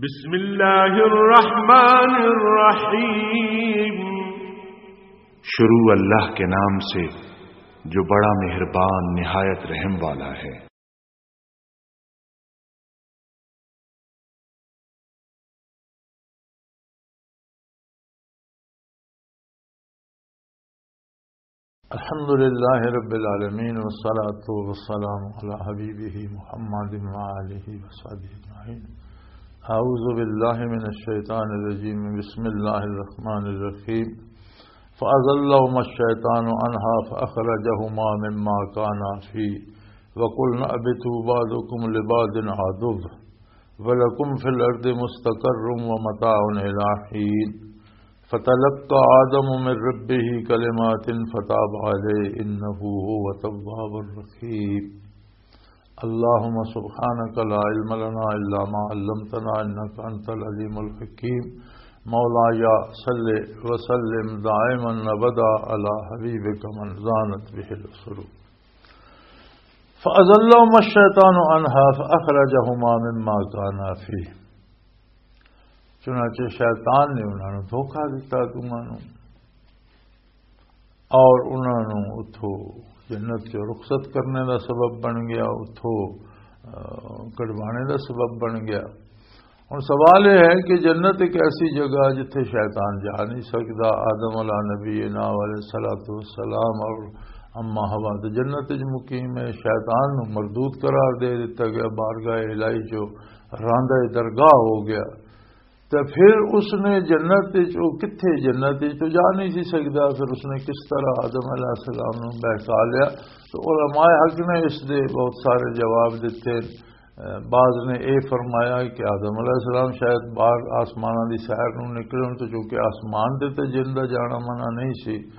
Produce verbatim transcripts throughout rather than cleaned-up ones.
بسم اللہ الرحمن الرحیم۔ شروع اللہ کے نام سے جو بڑا مہربان نہایت رحم والا ہے۔ الحمد لله رب العالمين، والصلاة والسلام على حبيبه محمد وآله وصحبه أجمعين. أعوذ بالله من الشيطان الرجيم. بسم الله الرحمن الرحيم. فأزلهما الشيطان عنها فأخرجهما مما كانا فيه وقلنا اهبطوا بعضكم لبعض عدو ولكم في الأرض مستقر ومتاع إلى حين. فتلقى آدم من ربه كلمات فتاب عليه إنه هو التواب الرحيم. اللهم سبحانك لا علم لنا إلا ما علمتنا إنك أنت العليم الحكيم. مولاي صل وسلم دائما أبدا على حبيبك من زانت به العصور. فَأَزَلَّهُمَا الشَّيْطَانُ عَنْهَا فَأَخْرَجَهُمَا مِمَّا كَانَا فِيهِ. چنانچہ شیطان نے انہاں نوں دھوکا دتا، دونوں نوں، اور انہاں نوں اتھوں جنت چوں رخصت کرنے دا سبب بن گیا، اتھوں، آ، کڈوانے دا سبب بن گیا۔ ہن سوال یہ ہے کہ جنت ایک ایسی جگہ جتھے شیطان جا نہیں سکدا۔ آدم علیہ نبینا علیہ الصلوۃ والسلام اور اماں حوا تے جنت وچ مقیم ہے، شیطان نوں مردود قرار دے دتا گیا، بارگاہ الہی جو راندہ درگاہ ہو گیا۔ تے پھر اس نے جنت وچ، او کتھے جنت وچ تو جا نہیں سی سکدا، پھر اس نے کس طرح آدم علیہ السلام نوں بہکا لیا؟ تو علماء حق نے اس دے بہت سارے جواب دتے۔ بعض نے یہ فرمایا کہ آدم علیہ السلام شاید باہر آسماناں دی سیر نوں نکلے ہون، تو چونکہ آسمان دے تے جن دا جانا منع نہیں سی،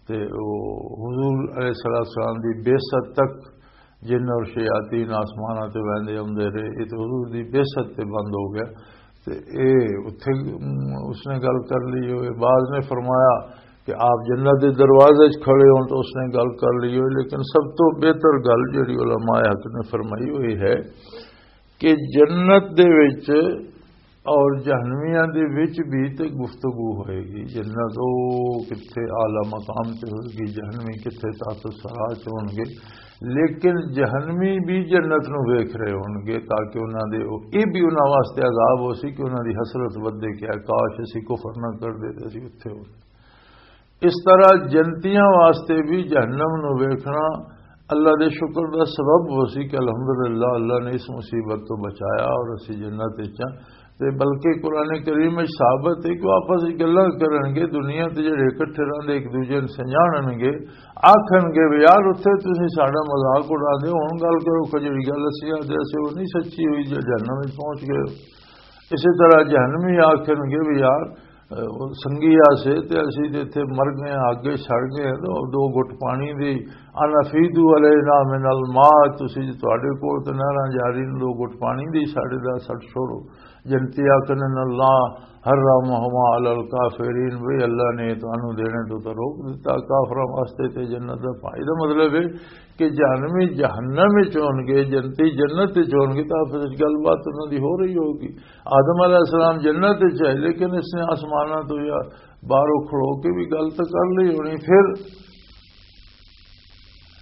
تے او حضور علیہ الصلوۃ والسلام دی بعثت تک جن اور شیاطین آسماناں تے ویندے آندے رہے، یہ تے حضور دی بعثت تے بند ہو گیا۔ تے اے اتھے، ام، اس نے گل کر لی ہوئے۔ بعض نے فرمایا کہ آپ جنت دے دروازے وچ کھڑے ہون تو اس نے گل کر لی ہوئے، لیکن سب تو بہتر گل جڑی علماء حق نے فرمائی ہوئی ہے کہ جنت دے وچ اور جہنمیاں دے وچ بھی تے گفتگو ہوئے گی۔ جنت او کتھے اعلیٰ مقام تے ہوئے گی، جہنمی کتھے تحت الثری چ ہون گے، لیکن جہنمی بھی جنت نو ویکھ رہے ہون گے، تاکہ انہاں دے، او، اے بھی انہاں واسطے عذاب ہو سی کہ انہاں دی حسرت ودے کہ کاش اسی کفر نہ کر دے تے اسی اتھے ہوندے۔ اس طرح جنتیاں واسطے بھی جہنم نو ویکھنا اللہ دے شکر دا سبب ہو سی کہ الحمدللہ اللہ نے اس مصیبت تو بچایا اور اسی جنت وچ ہاں۔ تے بلکہ قرآن کریم وچ ثابت ہے کہ وہ آپس وچ گلاں کرن گے، دنیا تے جڑے اکٹھے رہندے ایک دوجے نوں سنجانن گے، آکھن گے، "وی یار، اتھے تسی ساڈا مذاق اڑا دے، ہن گل کرو کہ جڑی گل اسی آدھے اسی وہ نہیں سچی ہوئی جو جہنم وچ پہنچ گئے ہو۔" اسی طرح جہنمی آکھن گے، "وی یار، اے، وہ سنگی آسے تے اسی تے اتھے مر گئے ہیں، اگے سڑ گئے ہیں، تو دو گھٹ پانی دی، ان افیدو علینا من الماء، تسی جو تواڈے کول تے نہراں جاری نے، دو گھٹ پانی دی ساڈے دا سٹ چھوڑو۔" جنتی آکھن، "ان اللہ حرمہما علی الکافرین"، وی اللہ نے تانوں دینے تو، تو روک دتا کافراں واسطے تے جنت دا پانی۔ دا مطلب ہے کہ جہنمی جہنم وچ ہون گے، جنتی جنت وچ ہون گے، تو آپس وچ گل بات انہاں دی ہو رہی ہوگی۔ آدم علیہ السلام جنت وچ ہے، لیکن اس نے آسماناں تو یا باہروں کھلو کے بھی گل تو کر لی ہونی۔ پھر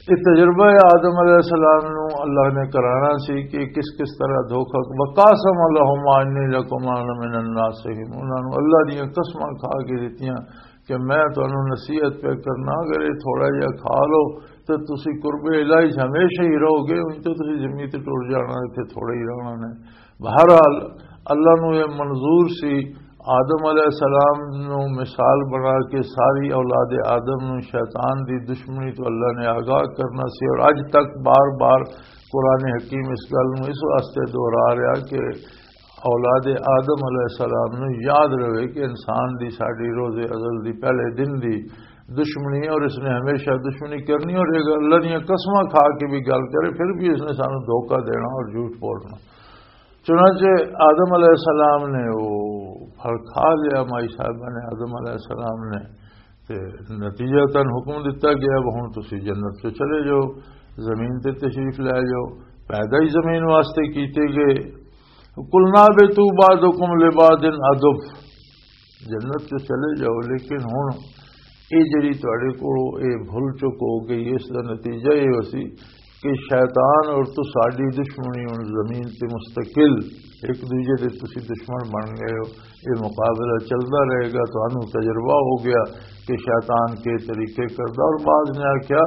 یہ تجربہ ہے آدم علیہ السلام نو اللہ نے کرانا سی کہ کس کس طرح دھوکا۔ وقاسم لهما انی لکما لمن الناصحین، انہاں نو اللہ دیاں قسماں کھا کے دتیاں کہ میں تانوں نصیحت پہ کرنا، اگر یہ تھوڑا جہا کھا لو تو تسی قرب الہی چ ہمیشہ ہی رہو گے، ان تو تسی زمین تے ٹر جانا، اتھے تھوڑا ہی رہنا نے۔ بہرحال، اللہ نو یہ منظور سی، آدم علیہ السلام نو مثال بنا کے ساری اولاد آدم نو شیطان دی دشمنی تو اللہ نے آگاہ کرنا سی، اور اج تک بار بار قرآن حکیم اس گل نو اس واسطے دہرا رہا کہ اولاد آدم علیہ السلام نو یاد رہے کہ انسان دی ساڈی روز ازل دی پہلے دن دی دشمنی ہے اور اس نے ہمیشہ دشمنی کرنی، اور اگر اللہ دیاں قسماں کھا کے بھی گل کرے، پھر بھی اس نے سانو دھوکا دینا اور جھوٹ بولنا۔ چنانچہ آدم علیہ السلام نے وہ پھل کھا لیا، مائی صاحبہ نے، آدم علیہ السلام نے، تے نتیجہ تن حکم دتا گیا، "اب ہن تسی جنت چ چلے جاؤ، زمین تے تشریف لے جاؤ۔" پیدا ہی زمین واسطے کیتے گئے۔ قلنا اهبطوا بعضكم لبعض عدو، جنت چ چلے جاؤ، لیکن ہن یہ جڑی تہاڈے کولوں یہ بھول چک ہو گئی، اس دا نتیجہ یہ ہو سی کہ شیطان اور تساڈی دشمنی ہن زمین تے مستقل، ایک دوجے دے تسی دشمن بن گئے ہو۔ یہ مقابلہ چلدا رہے گا، تانوں تجربہ ہو گیا کہ شیطان کے طریقے کردا۔ اور بعض نے آکھیا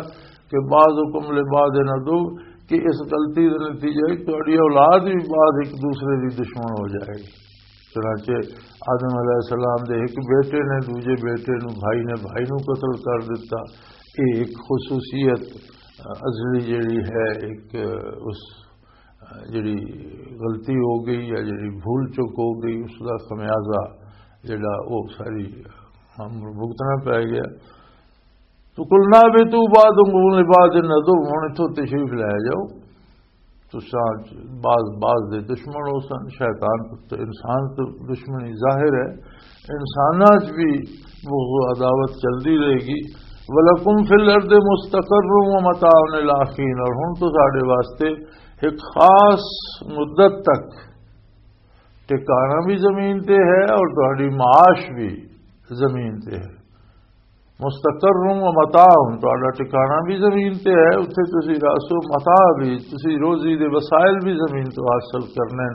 کہ بعضکم لبعض عدو، کہ اس غلطی دا نتیجہ ہے کہ تہاڈی اولاد بھی بعض ایک دوسرے دی دشمن ہو جائے گی۔ چنانچہ آدم علیہ السلام دے ایک بیٹے نے دوجے بیٹے نو، بھائی نے بھائی نو قتل کر دیتا۔ یہ ایک خصوصیت ازلی جڑی ہے، ایک اس جڑی غلطی ہو گئی یا جڑی بھول چک ہو گئی، اس دا خمیازہ جڑا وہ ساری ہم بھگتنا پی گیا۔ تو قلنا اهبطوا بعضكم لبعض عدو، ہن اتھوں تشریف لے جاؤ، تساں بعض بعض دے دشمن ہو سن۔ شیطان تے انسان تے دشمنی ظاہر ہے، انساناں چ بھی بغض و عداوت چلدی رہے گی۔ ولکم فی الارض مستقر و متاع الی حین، اور ہن تو ساڈے واسطے ایک خاص مدت تک ٹھکانہ بھی زمین تے ہے اور تہاڈی معاش بھی زمین تے ہے۔ مستقر و متاع، تہاڈا ٹھکانہ بھی زمین تے ہے، اتھے تسی رہسو، متاع بھی، تسی روزی دے وسائل بھی زمین تو حاصل کرنے،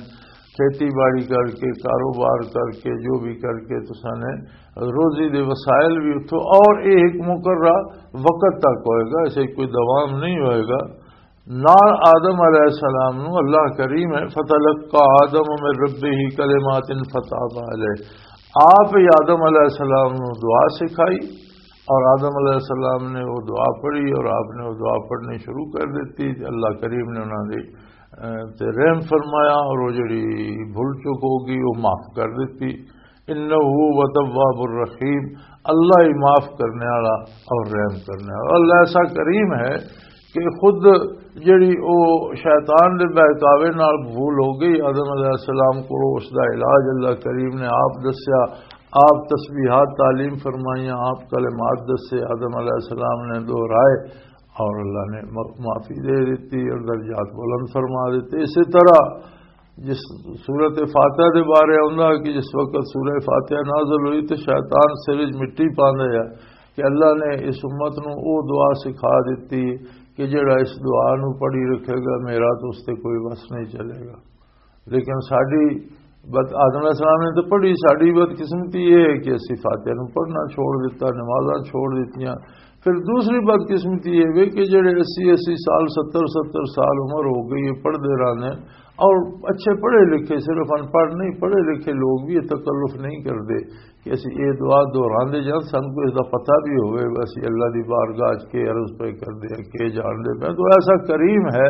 کھیتی باڑی کر کے، کاروبار کر کے، جو بھی کر کے تساں نے روزی دے وسائل بھی اتھوں، اور یہ ایک مقررہ وقت تک ہوئے گا، اسے کوئی دوام نہیں ہوئے گا۔ نال آدم علیہ السلام نو اللہ کریم ہے، فتلقى آدم من ربه كلمات فتاب عليه۔ آپ ہی آدم علیہ السلام نو دعا سکھائی، اور آدم علیہ السلام نے وہ دعا پڑھی، اور آپ نے وہ دعا پڑھنی شروع کر دیتی۔ اللہ کریم نے انہاں دی، اے، تے رحم فرمایا، اور وہ جڑی بھول چک ہوگی، وہ معاف کر دیتی۔ انہ هو التواب الرحیم، اللہ ہی معاف کرنے والا اور رحم کرنے والا۔ اللہ ایسا کریم ہے کہ خود جڑی او شیطان دے بہکاوے نال بھول ہو گئی آدم علیہ السلام کو، اس دا علاج اللہ کریم نے آپ دسیا، آپ تسبیحات تعلیم فرمائیاں، آپ کلمات دسے، آدم علیہ السلام نے دہرائے اور اللہ نے م-، معافی دے دیتی اور درجات بلند فرما دیتے۔ اسی طرح جس سورت فاتحہ دے بارے آندا کہ جس وقت سورہ فاتحہ نازل ہوئی تے شیطان سر وچ مٹی پاندا ہے کہ اللہ نے اس امت نو او دعا سکھا دتی کہ جڑا اس دعا نو پڑھی رکھے گا، میرا تو اس تے کوئی وس نہیں چلے گا۔ لیکن ساڈی بد-، آدم علیہ السلام نے تو پڑھی، ساڈی بدقسمتی یہ ہے کہ اسی فاتحہ نو پڑھنا چھوڑ دیتا، نمازاں چھوڑ دتیاں۔ پھر دوسری بدقسمتی یہ وے کہ جڑے اسی اسی سال، ستر ستر سال عمر ہو گئی ہے، پڑھدے رہندے اور اچھے پڑھے لکھے، صرف ان پڑھ نہیں، پڑھے لکھے لوگ بھی یہ تکلف نہیں کردے کہ اسی یہ دعا دہراندے جان، سانوں کوئی اس دا پتہ بھی ہوئے، اسی اللہ دی بارگاہ چ کے عرض پہ کردے ہیں، کے جان دے پہ۔ تو ایسا کریم ہے،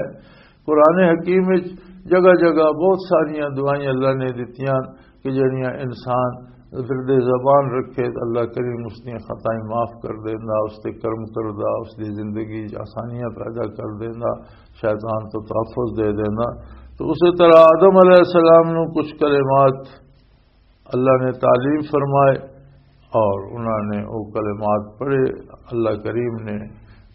قرآن حکیم وچ جگہ جگہ بہت ساریاں دعائیں اللہ نے دتیاں کہ جڑیاں انسان ورد زبان رکھے تو اللہ کریم اس دیاں خطائیں معاف کر دیندا، اس تے کرم کردا، اس دی زندگی چ آسانیاں پیدا کر دیندا، شیطان تو تحفظ دے دیندا۔ تو اسی طرح آدم علیہ السلام نو کچھ کلمات اللہ نے تعلیم فرمائے اور انہوں نے وہ کلمات پڑھے، اللہ کریم نے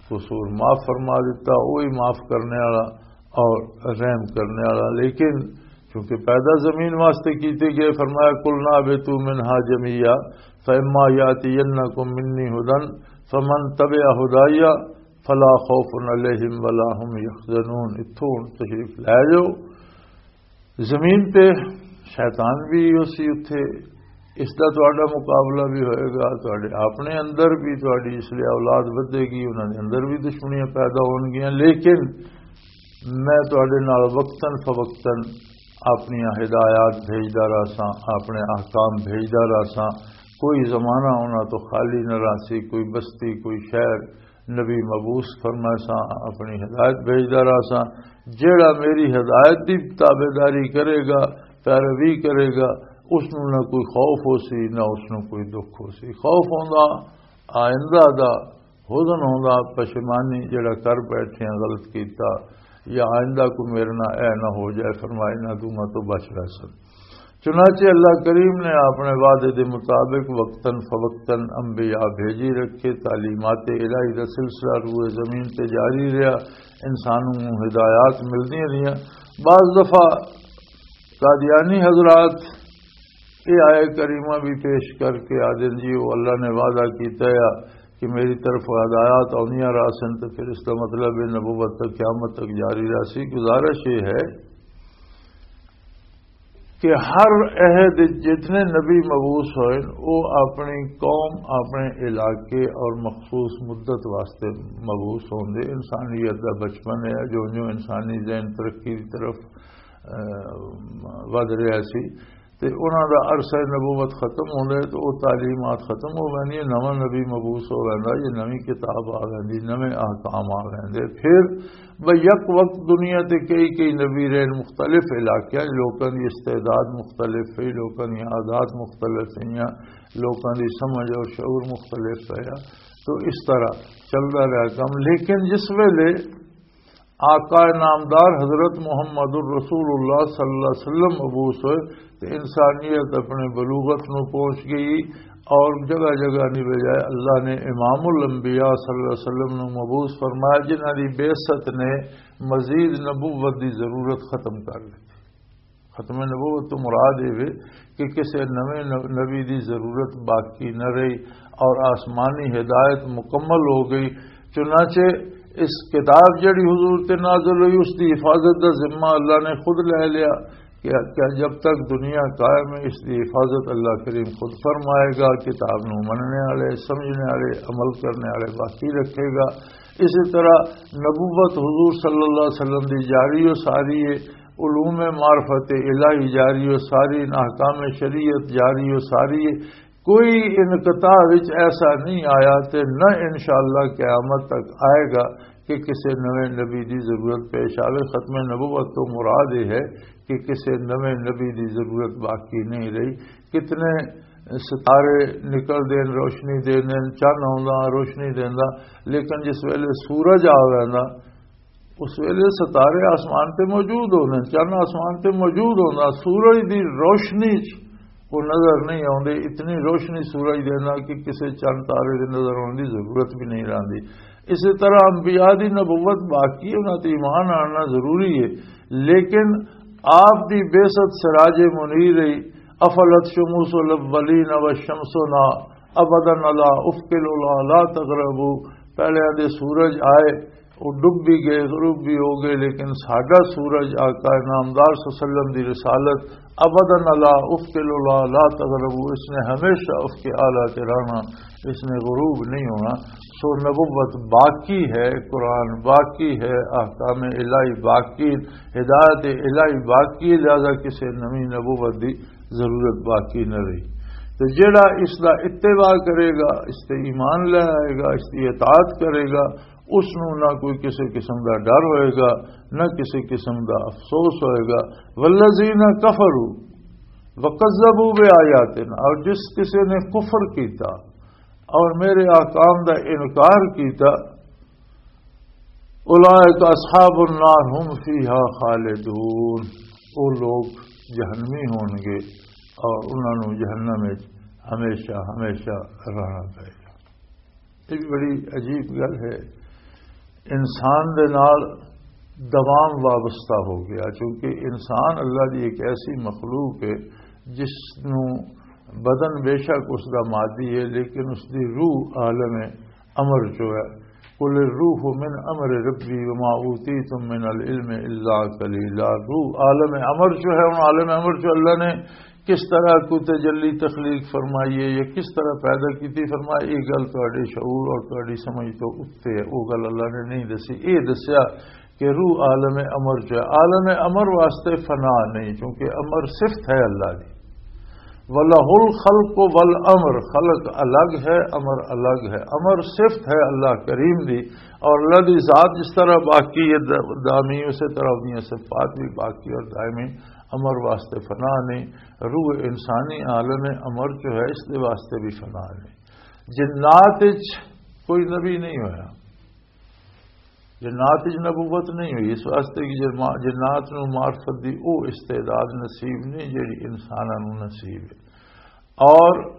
قصور معاف فرما دیتا، وہی معاف کرنے والا اور رحم کرنے والا۔ لیکن چونکہ پیدا زمین واسطے کیتے گئے، فرمایا، "قلنا اهبطوا منها جميعا فإما يأتينكم مني هدى فمن تبع هداي فلا خوف عليهم ولا هم يحزنون۔" اتھوں تشریف لے جاؤ، زمین تے شیطان بھی اسی اتھے، اس دا تہاڈا مقابلہ بھی ہوئے گا، تہاڈے اپنے اندر بھی تہاڈی اس لیے اولاد ودھے گی، انہاں دے اندر بھی دشمنیاں پیدا ہون گیاں، لیکن میں تہاڈے نال وقتاً فوقتاً اپنیاں ہدایات بھیجدا رہساں، اپنے احکام بھیجدا رہساں۔ کوئی زمانہ انہاں تو خالی نہ رہسی، کوئی بستی، کوئی شہر، نبی مبعوث فرمائے ساں، اپنی ہدایت بھیجدا رہا ساں۔ جیڑا میری ہدایت دی تابعداری کرے گا، پیروی کرے گا، اس نوں نہ کوئی خوف ہو سی، نہ اس نوں کوئی دکھ ہو سی۔ خوف ہوندا آئندہ دا، حزن ہوندا پشیمانی، جیڑا کر بیٹھے ہیں غلط کیتا، یا آئندہ کو میرے نہ اے نہ ہو جائے، فرمائے نہ دوں تو بچ رہ سن۔ چنانچہ اللہ کریم نے اپنے وعدے دے مطابق وقتاً فوقتاً انبیاء بھیجی رکھے، تعلیمات الہی دا سلسلہ روئے زمین تے جاری رہا، انسانوں نوں ہدایات ملدیاں رہیاں۔ بعض دفعہ قادیانی حضرات یہ آیت کریمہ بھی پیش کر کے آدھے جی، وہ اللہ نے وعدہ کیتا ہے کہ میری طرف ہدایات آنیاں راسن، تو پھر اس کا مطلب ہے نبوت تک، قیامت تک جاری رہسی۔ گزارش یہ ہے کہ ہر عہد جتنے نبی مبعوث ہوئے، وہ اپنی قوم، اپنے علاقے اور مخصوص مدت واسطے مبعوث ہوندے۔ انسانیت دا بچپن ہے، جو جو انسانی ذہن ترقی دی طرف، آ، ودھ رہا سی، تے انہاں دا عرصہ نبوت ختم ہوندا ہے، تے او تعلیمات ختم ہو ویندی ہے، نواں نبی مبعوث ہو ویندا، یہ نویں کتاب آ ویندی، نویں احکام آ ویندے۔ پھر بھئی یک وقت دنیا تے کئی کئی نبی رہے، مختلف علاقیاں، لوکاں دی استعداد مختلف ہے، لوکاں دی عادات مختلف ہیں، لوکاں دی سمجھ اور شعور مختلف ہے۔ تو اس طرح چلدا رہا کم۔ لیکن جس ویلے آقا نامدار حضرت محمد الرسول اللہ صلی اللہ علیہ وسلم مبعوث ہوئے، تے انسانیت اپنے بلوغت نو پہنچ گئی اور جگہ جگہ نہیں بجائے اللہ نے امام الانبیاء صلی اللہ علیہ وسلم نو مبعوث فرمایا، جنہاں دی بعثت نے مزید نبوت دی ضرورت ختم کر دی۔ ختم نبوت تو مراد یہ ہے کہ کسی نویں نب-، نبی دی ضرورت باقی نہ رہی اور آسمانی ہدایت مکمل ہو گئی۔ چنانچہ اس کتاب جڑی حضور تے نازل ہوئی، اس دی حفاظت دا ذمہ اللہ نے خود لے لیا کہ، کہ جب تک دنیا قائم ہے، اس دی حفاظت اللہ کریم خود فرمائے گا۔ کتاب نو مننے والے، سمجھنے والے، عمل کرنے والے باقی رکھے گا۔ اسی طرح نبوت حضور صلی اللہ علیہ وسلم دی جاری و ساری ہے، علوم معرفت الہی جاری و ساری، احکام شریعت جاری و ساری ہے۔ کوئی انقطاع وچ ایسا نہیں آیا تے نہ انشاءاللہ قیامت تک آئے گا کہ کسی نویں نبی دی ضرورت پیش آوے۔ ختم نبوت تو مراد یہ ہے کہ کسی نویں نبی دی ضرورت باقی نہیں رہی۔ کتنے ستارے نکل دین، روشنی دین، چن آوندا، روشنی دیندا، لیکن جس ویلے سورج آ ویندا، اس ویلے ستارے آسمان تے موجود ہوندے، چن آسمان تے موجود ہوندا، سورج دی روشنی چ وہ نظر نہیں آوندے۔ اتنی روشنی سورج دے نال کہ کسے چن تارے دے نظر آون دی ضرورت بھی نہیں رہندی۔ اسی طرح انبیاء دی نبوت باقی ہے، انہاں تے ایمان آنا ضروری ہے، لیکن آپ دی بعثت سراج منیر ہے۔ افلت شموس الاولین و شمسنا ابدا علی افق العلا لا تغربو۔ پہلے دے سورج آئے، وہ ڈب بھی گئے، غروب بھی ہو گئے، لیکن ساڈا سورج آقا نامدار صلی اللہ علیہ وسلم دی رسالت ابدا علی افق العلا لا تغربو، اس نے ہمیشہ افق اعلیٰ تے رہنا، اس نے غروب نہیں ہونا۔ سو نبوت باقی ہے، قرآن باقی ہے، احکام الہی باقی، ہدایت الہی باقی، لہذا کسی نویں نبوت دی ضرورت باقی نہ رہی۔ تو جڑا اس دا اتباع کرے گا، اس تے ایمان لے آئے گا، اس دی اطاعت کرے گا، اس نو نہ کوئی کسی قسم دا ڈر ہوئے گا، نہ کسی قسم دا افسوس ہوئے گا۔ والذین کفروا وکذبوا بآیاتنا، اور جس کسی نے کفر کیتا اور میرے احکام دا انکار کیتا، اولئک اصحاب النار هم فیها خالدون، وہ لوگ جہنمی ہون گے اور انہاں نوں جہنم وچ ہمیشہ ہمیشہ رہنا پائے گا۔ یہ بھی بڑی عجیب گل ہے۔ انسان دے نال دوام وابستہ ہو گیا، چونکہ انسان اللہ دی ایک ایسی مخلوق ہے جس نوں بدن بے شک اس دا مادی ہے، لیکن اس دی روح عالم امر چو ہے۔ قل الروح من امر ربی وما اوتیتم من العلم الا قلیلا۔ روح عالم امر چو ہے، ہن عالم امر چو اللہ نے کس طرح کوئی تجلی تخلیق فرمائی ہے یا کس طرح پیدا کیتی فرمائی، یہ گل تہاڈے شعور اور تہاڈی سمجھ تو اُتے ہے، وہ گل اللہ نے نہیں دسی۔ یہ دسیا کہ روح عالم امر چ ہے۔ عالم امر واسطے فنا نہیں، کیونکہ امر صفت ہے اللہ دی۔ وَلَهُ الْخَلْقُ وَالْأَمْرُ، خلق الگ ہے، امر الگ ہے۔ امر صفت ہے اللہ کریم دی، اور اللہ دی ذات جس طرح باقی ہے، د-، دائمی، اسی طرح اپنی صفات بھی باقی اور دائمی۔ امر واسطے فنا نہیں۔ روح انسانی عالم امر جو ہے، اس دے واسطے بھی فنا نہیں۔ جنات وچ کوئی نبی نہیں ہویا، جنات وچ نبوت نہیں ہوئی، اس واسطے کہ جما-، جنات نوں معرفت دی او استعداد نصیب نہیں جڑی انساناں نوں نصیب ہے۔ اور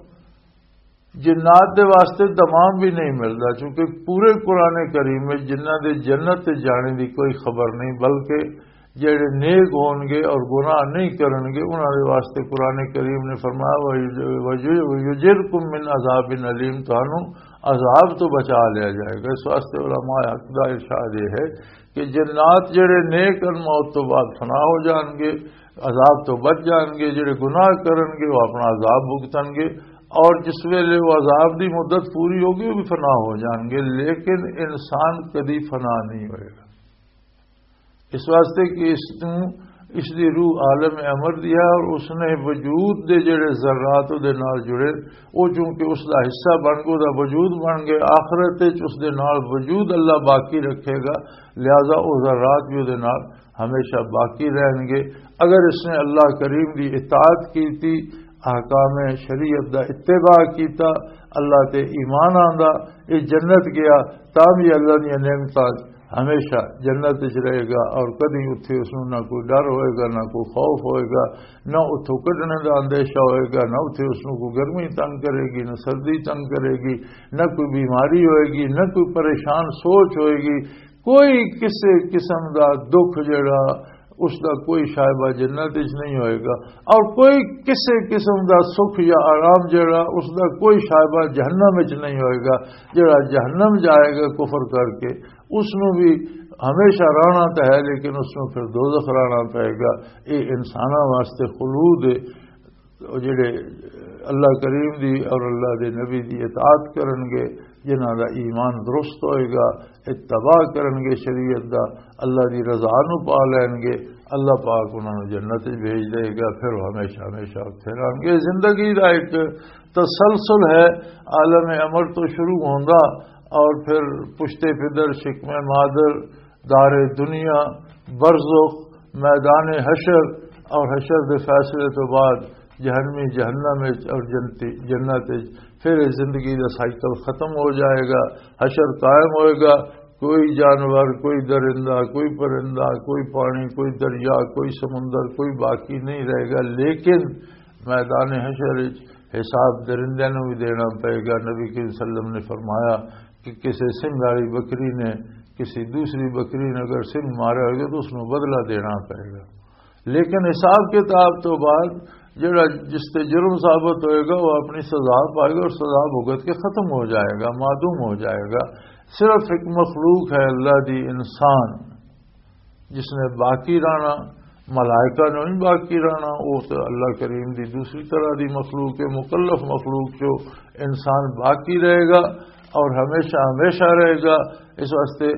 جنات دے واسطے دمام بھی نہیں ملدا، چونکہ پورے قرآن کریم وچ جنہاں دے جنت تے جانے دی کوئی خبر نہیں، بلکہ جڑے نیک ہون گے اور گناہ نہیں کرن گے، انہاں دے واسطے قرآن کریم نے فرمایا، "وَيُجِرْكُم مِّنْ عَذَابٍ أَلِيمٍ"، تانوں عذاب تو بچا لیا جائے گا۔ اس واسطے علماء حق دا ارشاد یہ ہے کہ جنات جڑے نیک ان، موت تو بعد فنا ہو جان گے، عذاب تو بچ جان گے، جڑے گناہ کرن گے وہ اپنا عذاب بھگتن گے، اور جس ویلے وہ عذاب دی مدت پوری ہوگی وہ بھی فنا ہو جان گے، لیکن انسان کدی فنا نہیں ہوئے گا۔ اس واسطے کہ اس نوں، اس دی روح عالم امر دی ہے، اور اس نے وجود دے جڑے ذرات دے نال جڑے، وہ چونکہ اس دا حصہ بن گئے، دا وجود بن گئے، آخرت وچ اس دے نال وجود اللہ باقی رکھے گا، لہذا وہ ذرات بھی دے نال ہمیشہ باقی رہن گے۔ اگر اس نے اللہ کریم دی اطاعت کیتی، احکام شریعت دا اتباع کیتا، اللہ تے ایمان آندا، یہ جنت گیا، تاں بھی اللہ دی نعمتاں ہمیشہ جنت وچ رہے گا، اور کدی اتھے اس نوں نہ کوئی ڈر ہوئے گا، نہ کوئی خوف ہوئے گا، نہ اتھوں کڈنے دا اندیشہ ہوئے گا، نہ اتھے اس نوں کوئی گرمی تنگ کرے گی، نہ سردی تنگ کرے گی، نہ کوئی بیماری ہوئے گی، نہ کوئی پریشان سوچ ہوئے گی، کوئی کسے قسم دا دکھ جڑا اس دا کوئی شائبہ جنت وچ نہیں ہوئے گا، اور کوئی کسے قسم دا سکھ یا آرام جڑا اس دا کوئی شائبہ جہنم وچ نہیں ہوئے گا۔ جڑا جہنم جائے گا کفر کر کے، اس نوں بھی ہمیشہ رہنا تو ہے، لیکن اس نوں پھر دوزخ رہنا پائے گا۔ یہ انساناں واسطے خلود ہے۔ وہ جڑے اللہ کریم دی اور اللہ دے نبی دی اطاعت کرن گے، جنہاں دا ایمان درست ہوئے گا، اتباع کرن گے شریعت دا، اللہ دی رضا نو پا لین گے، اللہ پاک انہاں نو جنت وچ بھیج دے گا، پھر وہ ہمیشہ ہمیشہ اتھے رہن گے۔ زندگی دا ایک تسلسل ہے، عالم امر تو شروع ہوندا اور پھر پشتے پدر، شکم مادر، دار دنیا، برزخ، میدان حشر اور حشر دے فیصلے تو بعد جہنمی جہنم وچ اور جنتی جنت وچ، پھر یہ زندگی دا سائیکل ختم ہو جائے گا۔ حشر قائم ہوئے گا، کوئی جانور، کوئی درندہ، کوئی پرندہ، کوئی پانی، کوئی دریا، کوئی سمندر، کوئی باقی نہیں رہے گا۔ لیکن میدان حشر وچ حساب درندے نوں بھی دینا پئے گا۔ نبی کریم صلی اللہ علیہ وسلم نے فرمایا کہ کسی سنگھ والی بکری نے کسی دوسری بکری نے اگر سنگھ مارا ہوگا تو اس نوں بدلہ دینا پئے گا۔ لیکن حساب کتاب تو بعد جڑا جس تے جرم ثابت ہوئے گا، وہ اپنی سزا پائے گا اور سزا بھگت کے ختم ہو جائے گا، معدوم ہو جائے گا۔ صرف ایک مخلوق ہے اللہ دی، انسان، جس نے باقی رہنا، ملائکہ نے نہیں باقی رہنا، وہ تو اللہ کریم دی دوسری طرح دی مخلوق ہے، مکلف مخلوق جو انسان باقی رہے گا اور ہمیشہ ہمیشہ رہے گا۔ اس واسطے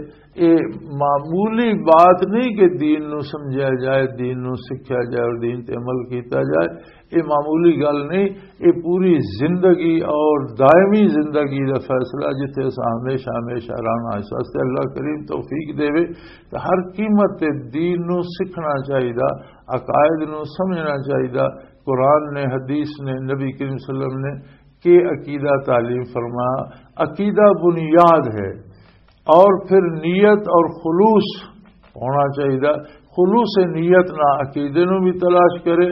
یہ معمولی بات نہیں کہ دین نو سمجھا جائے، دین نو سکھیا جائے اور دین تے عمل کیتا جائے۔ یہ معمولی گل نہیں، یہ پوری زندگی اور دائمی زندگی دا فیصلہ، جتھے اساں ہمیشہ ہمیشہ رہنا۔ اس واسطے اللہ کریم توفیق دے کہ ہر قیمت تے دین نو سکھنا چاہیدا، عقائد نو سمجھنا چاہیدا۔ قرآن نے، حدیث نے، نبی کریم صلی اللہ علیہ وسلم نے کہ عقیدہ تعلیم فرمایا۔ عقیدہ بنیاد ہے، اور پھر نیت اور خلوص ہونا چاہیدا۔ خلوص نیت نہ عقیدے نو بھی تلاش کرے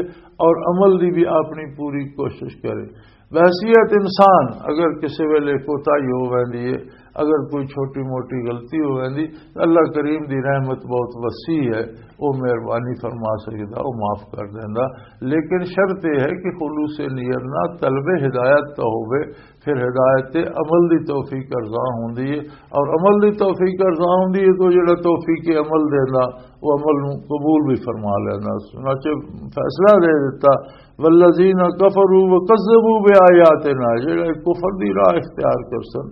اور عمل دی بھی اپنی پوری کوشش کرے۔ بحیثیت انسان اگر کسی ویلے کوتاہی ہو ویندی ہے، اگر کوئی چھوٹی موٹی غلطی ہو ویندی، تو اللہ کریم دی رحمت بہت وسیع ہے، وہ مہربانی فرما سکدا، وہ معاف کر دیندا۔ لیکن شرط یہ ہے کہ خلوص نیت نہ، طلب ہدایت تو ہوے، پھر ہدایت تے عمل دی توفیق ارزاں ہوندی ہے، اور عمل دی توفیق ارزاں ہوندی ہے تو جڑا توفیق عمل دیندا، وہ عمل نوں قبول بھی فرما لیندا۔ چنانچہ فیصلہ دے دتا، والذین کفروا وکذبوا بآیاتنا، جڑے کفر دی راہ اختیار کرسن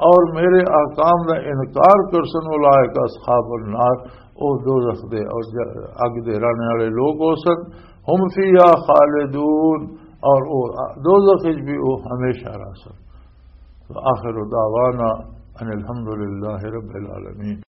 اور میرے احکام دا انکار کرسن، اولئک اصحاب النار، او دوزخ دے اور ج-، اگ دے رہنے والے لوگ ہو سن، ہم فیہا خالدون، اور او دوزخ وچ بھی او ہمیشہ رہ سن۔ وآخر دعوانا ان الحمد للہ رب العالمین۔